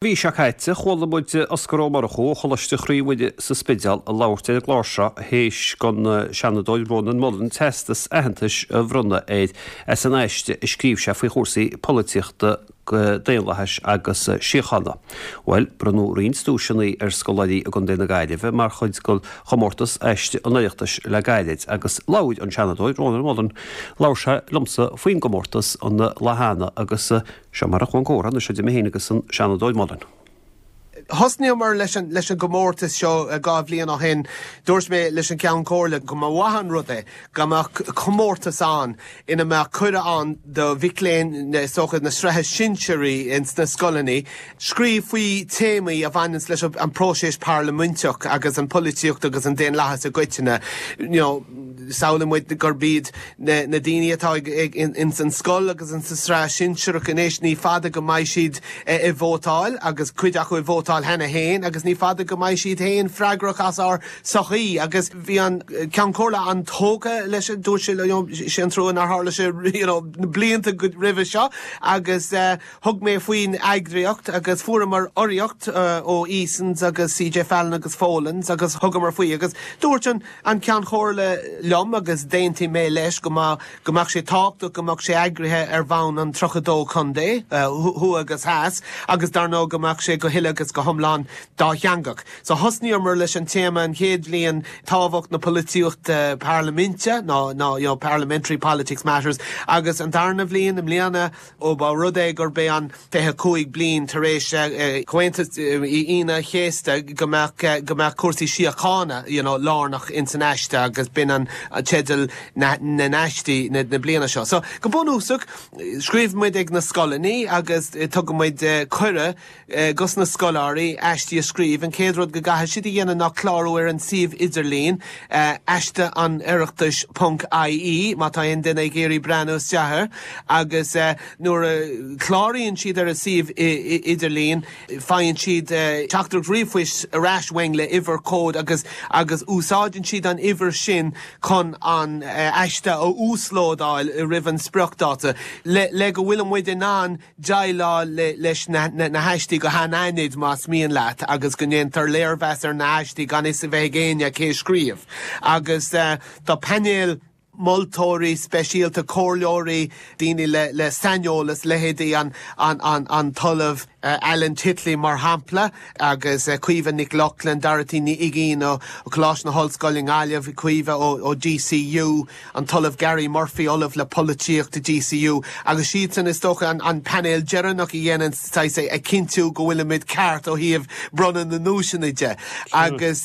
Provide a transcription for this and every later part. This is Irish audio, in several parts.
Mhí seo caite, chuala muid Osgur Ó Murchú ó Choláiste Chroí Mhuire sa Spidéal ag labhairt ar an gclár seo théis don Seanadóir Rónán Mullen teastas aitheantais a bhronnadh air as an aiste a scríobh sé faoi chúrsaí polaitíochta, daonlathais agus síochána. Bhuel, bronnadh roinnt duaiseanna ar scoláirí i gContae na Gaillimhe mar chuid de chomórtas Aiste an Oireachtais le gairid agus labhair an Seanadóir Rónán Mullen, labhair sé liomsa faoin gcomórtas an lá cheana agus Seo mar a chuaigh an comhrá anois idir mé féin agus an Seanadóir Mullen. Thosnaíomar leis an leis an gcomórtas seo 2 bhliain ó shin. Dúirt mé leis an gCeann Comhairle go mba mhaith an rud é go mbeadh comórtas ann ina mbeadh cuireadh ann do mhic léinn is dócha na sraithe sinsearaí ins na scoileanna scríobh faoi téamaí a bhaineanns leis an próiseas parlaiminteach agus an pholaitíocht agus an daonlathas i gcoitinne. You know, samhlaíonn muid gurb iad na daoine atá ins an scoil agus ins an sraith shinsearach anois, ní fada go mbeidh siad ag vótáil agus cuid acu ag vótáil cheana féin agus ní fada go mbeidh siad féin freagrach as ár sochaí agus bhí an Ceann Comhairle an-tógtha leis, dúirt sé you know sé an trua nár tharla sé you know na blianta roimhe seo agus thug mé faoin eagraíocht agus fuaireamar urraíocht ó Easons agus CJ Fallon agus Folens agus thugamar faoi agus dúirt an An Ceann Comhairle liom, agus d'aontaigh mé leis, go mba, go mbeadh sé tábhachtach go mbeadh sé eagraithe ar bhonn an 32 contae, thuaidh agus theas, agus dar ndóigh go mbeadh sé go huile agus go hiomlán dátheangach. So thosnaíomar leis an téama an chéad bhliain, tábhacht na polaitíochta parlaiminte, nó, nó, you know, parliamentary politics matters, agus an darna bhliain, i mbliana, Ó ba rud é gurb é an 25 bliain tar éis Chomhaontú Aoine an Chéasta go mbeadh go mbeadh cúrsaí síochána you know lárnach ins an aiste agus b'in an teideal na n-aistí na bliana seo. So go bunúsach scríobhann muid ag na scoileanna agus tugann muid cuireadh dos na scoláirí aistí a scríobh, an chéad rud go gcaithfidh siad a dhéanamh ná clárú ar an suíomh idirlín, aisteanoireachtais ponc ie, má tá aon duine ag iarraidh breathnú isteach air, agus nuair a chláraíonn siad ar an suíomh idirlín, faigheann siad teachtaireacht ríomhphoist ar ais uainn le uimhir cód agus agus úsáideann siad an uimhir sin chun an aiste a uaslódáil roimh an spriocdháta le go bhfuil muid in ann déileáil leis na haistí go hanaithnid, más mian leat, agus go ndéantar léirmheas ar na haistí gan fhios a bheith ag éinne cé a scríobh. Agus tá painéal moltóirí speisialta, comhairleoirí, daoine le saineolas, leithéidí an tOllamh Alan Titley, mar shampla, agus Caoimhe Nic Lochlainn, Dorothy Ní Uigín ó Choláiste na hOllscoile i nGaillimh, Caoimhe ó DCU, an tOllamh Gary Murphy, Ollamh le Polaitíocht i DCU, agus siadsan is dócha an painéal deireanach a dhéanann saghas ag cinntiú go bhfuilimid ceart ó thaobh bronnadh na nduaiseanna de. Agus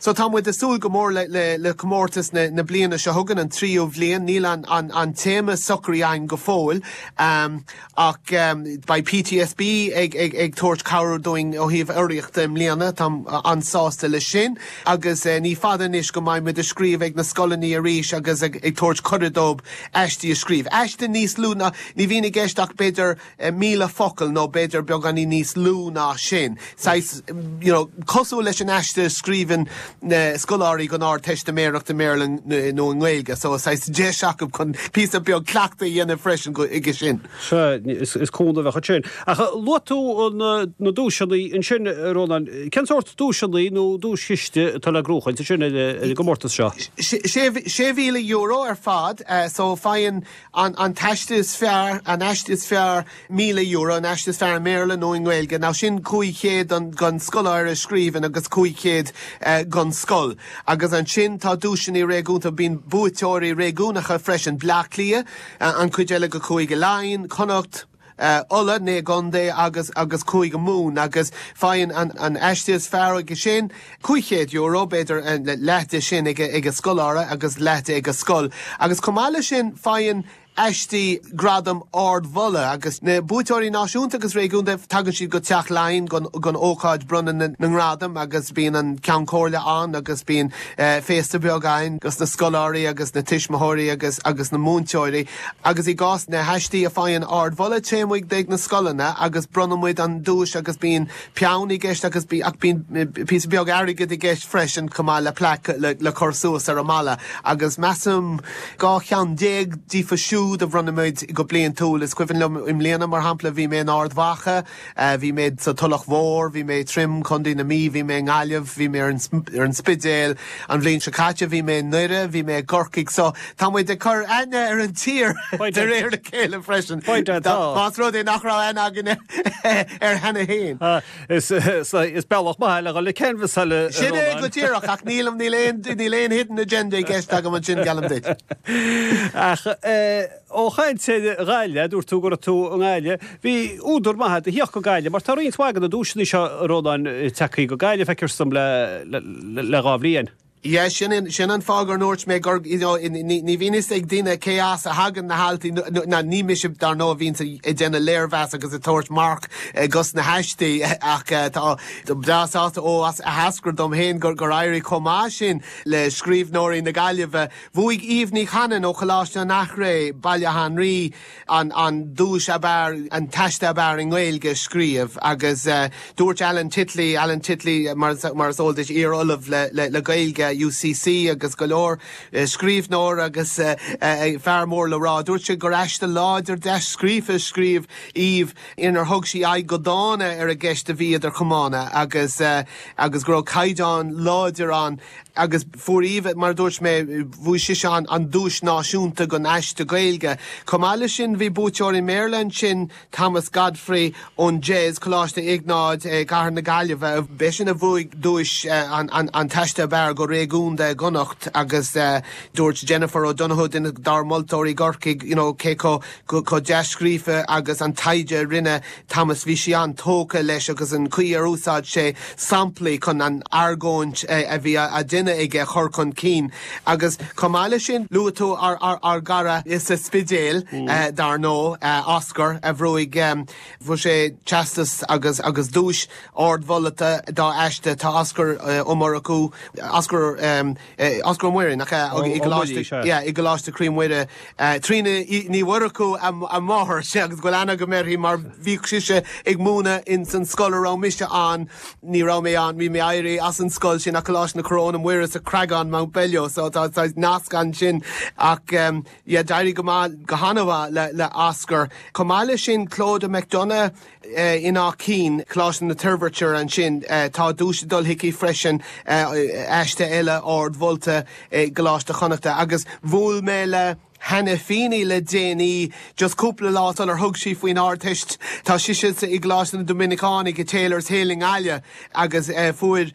so tá muid ag súil go mór le le comórtas na bliana seo chugainn, an tríú bhliain. Níl an téama socraithe againn go fóill. Ach beidh PTSB ag tabhairt cabhair dúinn ó thaobh urraíochta i mbliana, táim an-sásta leis sin. Agus ní fada anois go mbeidh muid ag scríobh ag na scoileanna arís agus ag tabhairt cuireadh dóibh aistí a scríobh. Aiste níos lú ná, ní bhíonn i gceist ach b'fhéidir 1,000 focal nó b'fhéidir beagáinín níos lú ná sin. Saghas, you know, cosúil leis an aiste a scríobhann na scoláirí don Ardteistiméireacht i mBéarla nó i nGaeilge, so saghas deis acu chun píosa beag cleachtaidh a dhéanamh freisin chuige sin. Sea, is cúnamh a bheadh ansin. Ach luaigh tú na duaiseanna ansin, a Rónáin. Cén sórt duaiseanna nó duaischiste atá le gnóchaint ansin ar an gcomórtas seo? €6,000 ar fad, so faigheann an t-aiste is fearr, an aiste is fearr, €1,000, an aiste is fearr i mBéarla nó i nGaeilge. Now sin 500 don scoláire a scríobhann agus 500 don scoil. Agus ansin tá duaiseanna réigiúnta, bíonn buaiteoirí réigiúnacha freisin, Bleá Cliath, an chuid eile de Chúige Laighean, Connacht, Uladh, naoi gcontae agus agus Cúige Mumhan agus faigheann an aiste is fearr aige sin €500, b'fhéidir leath de sin ag an scoláire agus leath de ag an scoil. Agus chomh maith leis sin faigheann aistí gradam ardmholadh agus na buaiteoirí náisiúnta agus réigiúnda, tagann siad go Teach Laighean don ócáid bronnadh na ngradam agus bíonn an Ceann Comhairle ann agus bíonn féasta beag ann dos na scoláirí agus na tuismitheoirí agus agus na múinteoirí agus i gcás na haistí a faigheann ardmholadh téann muid ag na scoileanna agus bronnann muid an duais agus bíonn peann i gceist agus ach bíonn píosa beag airgid i gceist freisin chomh maith le plaic le cur suas ar an mballa agus measaim 12 cheann díofa siúd. úd a bhronnaimid go bliantúil. Is cuimhin liom i mbliana, mar shampla, bhí mé in Ard Mhacha, bhí mé sa Tulach Mhór, bhí mé i Trim, Contae na Mí, bhí mé i nGaillimh, bhí mé ar an Spidéal. An bhliain seo caite bhí mé i nDoire, bhí mé i gCorcaigh. So, tá muid ag cur aithne ar an tír de réir a chéile freisin. Más rud é nach raibh aithne againne air cheana féin. Is bealach maith é le dhul ag canbhasáil, a Sin é go díreach, ach nílim, níl aon, níl aon hidden agenda i gceist agam ansin, geallaim duit. Ach ó chaint ar Ghaillimh, dúirt tú go raibh tú i nGaillimh, bhí údar maith agat a thíocht go Gaillimh, mar tá roinnt mhaith de na duaiseanna seo, a Rónáin, tagtha go Gaillimh, feictear dom, le dha bhliain. Yeah, sin an, sin an fáth gur ndúirt mé gur, you know, ní, ní bhíonn fhios ag daoine cé as a thagann na halt, ná ní mise dar ndóigh a bhíonns ag déanamh léirmheas agus ag tabhairt marc dos na haistí ach tá breá sásta ó as a heascair dom féin gur, gur éirigh chomh maith sin le scríbhneoirí na Gaillimhe. Bhuaigh Aoibh Ní Chanainn ó Choláiste an Eachréidh, Baile Átha an Rí, an an duais ab fhearr, an t-aiste ab fhearr i nGaeilge a scríobh agus dúirt Alan Titley, Alan Titley mar mar is eol duit, iar-ollamh le le le Gaeilge UCC agus go leor scríbhneoir agus fear mór le rá, dúirt sé gur aiste láidir dea-scríofa a scríobh Aoibh inar thug sí aghaidh go dána ar an gceist a bhí idir chamána agus agus go raibh caighdeán láidir ann. Agus fuair Aoibh, mar a dúirt mé, bhuaigh sise an duais náisiúnta don aiste Gaeilge. Chomh maith leis sin, bhí buaiteoir i mBéarla ansin, Thomas Godfrey ón DEIS, Coláiste Iognáid i gCathair na Gaillimhe. B'eisean a bhuaigh duais an t-aiste ab fhearr go réigiúnda i gConnacht agus dúirt Jennifer O'Donoghue, duine dár moltóirí i gCorcaigh, you know, cé chomh dea-scríofa agus an taighde a rinne Thomas, bhí sí an-tógtha leis agus an chaoi ar úsáid sé samplaí chun an argóint a bhí á déanamh aige a chur chun cinn. Agus chomh maith leis sin, luaigh tú ár gcara sa Spidéal, dar ndóigh, Oscar, a bhuaigh, fuair sé teastas agus agus duais ardmholta dá aiste. Tá Oscar Ó Murchú, Oscar, Oscar Ó Muirí, nach ea? I gColáiste, yeah, i gColáiste Chroí Mhuire. Tríona Ní Mhurchú a máthair, sea, agus go bhfuil aithne agam uirthi mar bhíodh sise ag múineadh ins an scoil a raibh mise ann, ní raibh mé ann, bhí mé éirithe as an scoil sin ach Coláiste na Coróine Muire sa Chreagán, Mountbellew, so tá saghas nasc ansin ach yeah, d'éirigh go maith, go han-mhaith le, le Oscar. Chomh maith leis sin, Clodagh McDonagh, In Áth Cinn, Coláiste na Toirbhirte ansin, tá duais ag dul chuici freisin, aiste eile ardmholta i gColáiste Chonnachta. Agus bhuail mé le Hannah Feeney le déanaí, just cúpla lá sular thug sí faoin Ardteist. Tá sise i gColáiste na Doiminiceánach i Taylor's Hill i nGaillimh agus fuair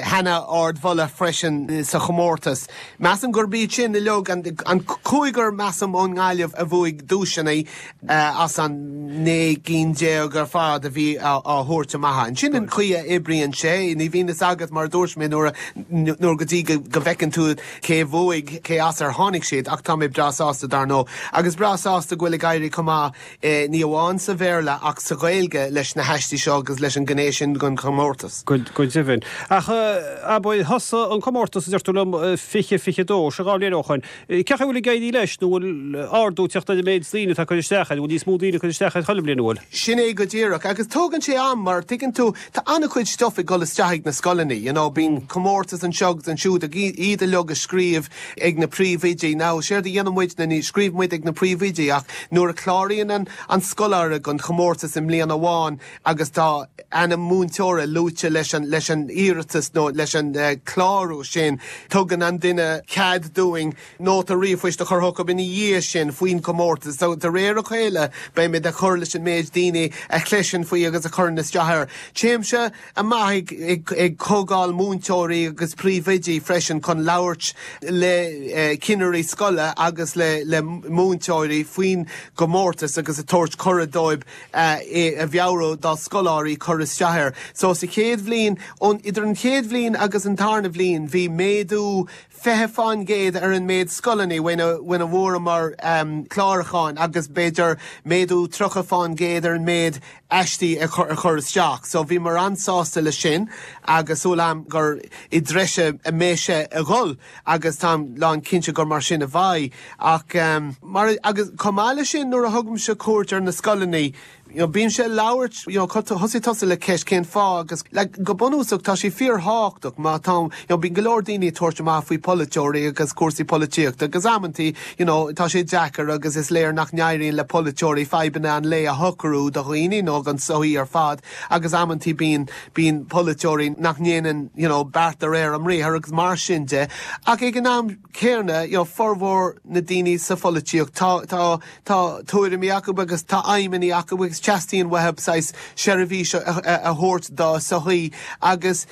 Hannah ardmholadh freisin sa chomórtas. Measaim gurb iad sin uilig an cúigear, measaim, ón nGaillimh a bhuaigh duaiseanna as an 19 gcinn ar fad a bhí á thabhairt amach. Sin an chaoi a oibríonn sé. Ní bhíonn fhios agat, mar a dúirt mé, nuair nuair go dtí go bhfeiceann tú cé a bhuaigh, cé as ar tháinig siad, ach tá mé breá sásta, dar ndóigh. Agus breá sásta go bhfuil ag éirí chomh maith ní amháin sa Bhéarla ach sa Ghaeilge leis na haistí seo agus leis an ghné sin den chomórtas. Go deimhin. Ach abair, thosaigh an comórtas, a deir tú liom, 2022, sin 2 bhliain ó shoin. Cén chaoi a bhfuil ag éirí leis nó bhfuil ardú ag teacht ar an méid daoine atá ag cur isteach air? Bhfuil níos mó daoine ag cur isteach air chuile bhliain, an bhfuil? Sin é go díreach. Agus tógann sé am mar, tuigeann tú, tá an-chuid stuff ag dul isteach ag na scoileanna, you know, bíonn comórtas anseo agus ansiúd ag iad uilig a scríobh ag na príomhoidí. Now, séard a dhéanann muid ná ní scríobhann muid ag na príomhoidí ach nuair a chláraíonn an an scoláire don chomórtas i mbliain amháin agus tá ainm múinteora luaite leis an leis an iarratas nó leis an clárú sin, tugann an duine cead dúinn nóta ríomhphoist a chur chucu ina dhiaidh sin faoin chomórtas. So, de réir a chéile beimid ag cur leis an méid daoine a chloiseann faoi agus a chuireann isteach air. Téimse amach ag comhdháil múinteoirí agus príomhoidí freisin chun labhairt le cinnirí scoile agus le múinteoirí faoin gcomórtas agus ag tabhairt cuireadh dóibh é a mheabhrú dá scoláirí cur isteach air. So sa chéad bhliain, idir an chéad bhliain agus an tarna bhliain bhí méadú 20% ar an méid scoileanna faoina bhfuaireamar clárúcháin agus b'fhéidir méadú 30% ar an méid aistí a chur isteach. So bhíomar an-sásta leis sin agus súil agam gur i dtreise a mbeidh sé a dhul agus táim lán cinnte gur mar sin a bheidh. Ach mar, agus chomh maith leis sin nuair a thugaimse cuairt ar na scoileanna. you know, bímse ag labhairt, you know, thosaigh tusa le ceist cén fáth agus like go bunúsach tá sé fíorthábhachtach má tá, you know, bíonn go leor daoine ag tabhairt amach faoi polaiteoirí agus cúrsaí polaitíochta agus amantaí, you know, tá sé deacair agus is léir nach n-éiríonn le polaiteoirí fadhbanna an lae a shocrú do dhaoine nó don tsochaí ar fad agus amantaí bíonn, bíonn polaiteoirí nach ndéanann, you know, beart de réir a mbriathar agus mar sin de ach ag an am céanna, you know, formhór na daoine sa pholaitíocht tá, tá, Tá tuairimí acu agus tá aidhmeanna acu agus teastaíonn uathu saghas seirbhís a thabhairt dá sochaí agus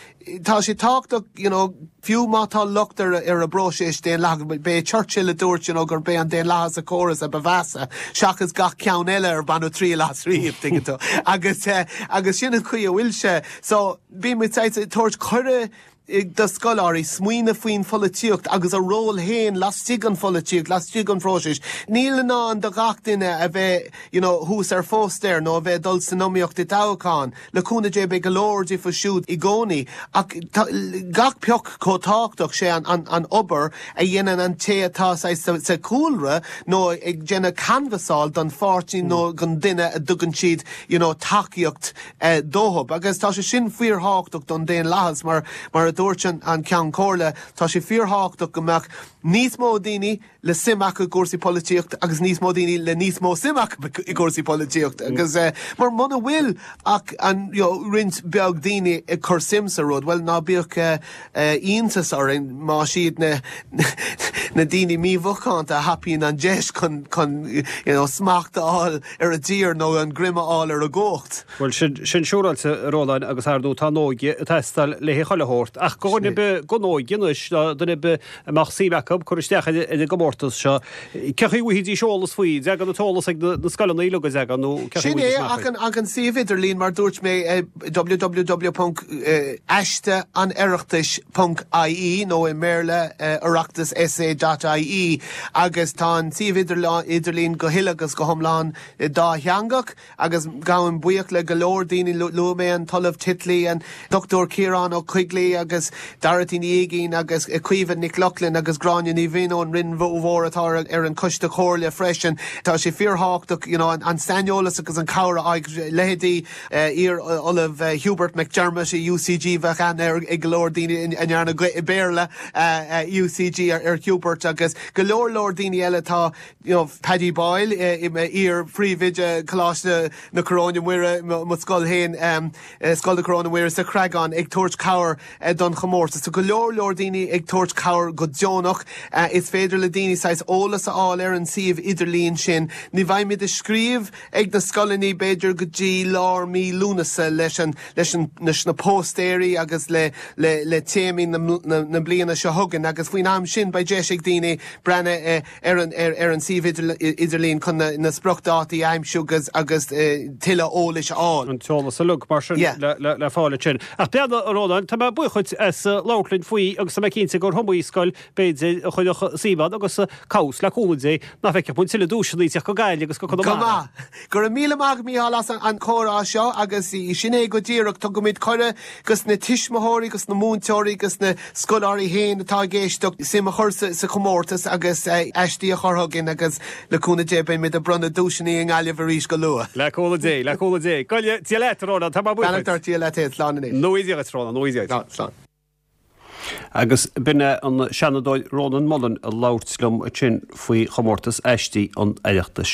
tá sé tábhachtach you know fiú má tá locht ar ar an bpróiseas daonlathach, b'é Churchill a dúirt you know gurb é an daonlathas an córas a ba mheasa seachas gach ceann eile ar baineadh triail as riamh, tuigeann tú. Agus agus sin an chaoi a bhfuil sé. So bíonn muid saghas ag tabhairt cuireadh do scoláirí smaoineamh faoin pholaitíocht agus a ról féin laistigh den pholaitíocht, laistigh den phróiseas. Níl i ndán do gach duine a bheith you know thuas ar phóstaer nó a bheith ag dul san iomaíocht i dtoghchán. Le cúnamh Dé beidh go leor díofa siúd i gcónaí ach tá gach pioc chomh tábhachtach, sé an an obair a dhéanann an té atá saghas sa sa chúlra nó ag déanamh canbhasáil don pháirtí nó don duine a dtugann siad you know tacaíocht dóibh. Agus tá sé sin fíorthábhachtach don daonlathas mar, mar a dúirt an Ceann Comhairle, tá sé fíorthábhachtach go mbeadh níos mó daoine le suim acu i gcúrsaí polaitíochta agus níos mó daoine le níos mó suim acu i gcúrsaí polaitíochta. Agus mar muna bhfuil ach an, you know, roinnt beag daoine ag cur suim sa rud, bhuel ná bíodh iontas orainn más iad na na daoine mímhacánta a thapaíonn an deis chun, chun, you know, smacht a fháil ar an dtír nó an greim a fháil ar an gcumhacht. Bhuel, sin, sin siúráilte, a Rónáin, agus ar ndóigh tá an óige ag teastáil le haghaidh chuile shórt. Ach go dhuine ar bith den óige anois, nó duine ar bith a mbeadh suim acu cur isteach ar an gcomórtas seo, cén chaoi a bhfaighidís eolas faoi? An dtagann an t-eolas ag na scoileanna uilig, an dtagann, nó cén chaoi a Sin é, ach an, ach an suíomh idirlín, mar dúirt mé, www.aisteanoireachtais.ie nó i mBéarla, oireachtasessay dot ie. Agus tá an suíomh idirlín go huile agus go hiomlán dátheangach agus gabhaim buíoch le go leor daoine, luaigh mé an tOllamh Titley, an Dr Ciarán Ó Coigligh agus Dorothy Ní Uiginn agus Caoimhe Nic Lochlainn agus Gráinne Ní Mhaoin ón Rinn Mhór atá ar an Choiste Comhairle freisin. Tá sé fíorthábhachtach you know an saineolas agus an cabhair a fháil, leithéidí iar-Ollamh Hubert McDermott i UCG, bheadh aithne ag go leor daoine a ndearna Béarla UCG ar Hubert agus go leor leor daoine eile atá you know Paddy Boyle, iar-phríomhoide Choláiste na Coróine Muire, mo scoil féin, Scoil na Coróine Muire sa Chreagán ag tabhairt cabhair don chomórtas. So go leor leor daoine ag tabhairt cabhair go deonach. Is féidir le daoine saghas eolas a fháil ar an suíomh idirlín sin. Ní bheimid ag scríobh ag na scoileanna b'fhéidir go dtí lár mí Lúnasa leis an leis an leis na póstaeirí agus le le le téamaí na na na bliana seo chugainn agus faoin am sin beidh deis ag daoine breathnú ar an ar ar an suíomh idirlín chun na na spriocdhátaí a aimsiú agus agus tuilleadh eolais a fháil. An t-eolas uilig mar sin Yeah. le le le fáil ansin. Ach breathnaigh, a Rónáin, tá mé buíoch dhuit as labhairt linn faoi agus tá mé cinnte gur iomaí scoil b'fhéidir, a chuirfeadh suim ann agus cá bhfios, le cúnamh Dé, nach bhfeicfeadh muid tuilleadh duaiseanna ag teacht go Gaillimh agus go Conamara. Go maith. Go raibh míle maith agat, Mícheál, as an chomhrá seo agus sin é go díreach, tugaimid cuireadh dos na tuismitheoirí, dos na múinteoirí, dos na scoláirí féin atá ag éisteacht suim a chur sa chomórtas agus aistí a chur chugainn agus le cúnamh Dé beimid ag bronnadh duaiseanna i nGaillimh arís go luath. Le cúnamh Dé, le cúnamh Dé. Go leor, Dia leat, a Rónán, tá mé buíoch duit. Beannacht ort, Dia leat féin, slán anois. Nua Dia dhuit, Rónán, nua Dia dhuit. Slán. Agus b'in é an Seanadóir Rónán Mullen ag labhairt liom ansin faoi chomórtas Aistí an Oireachtais.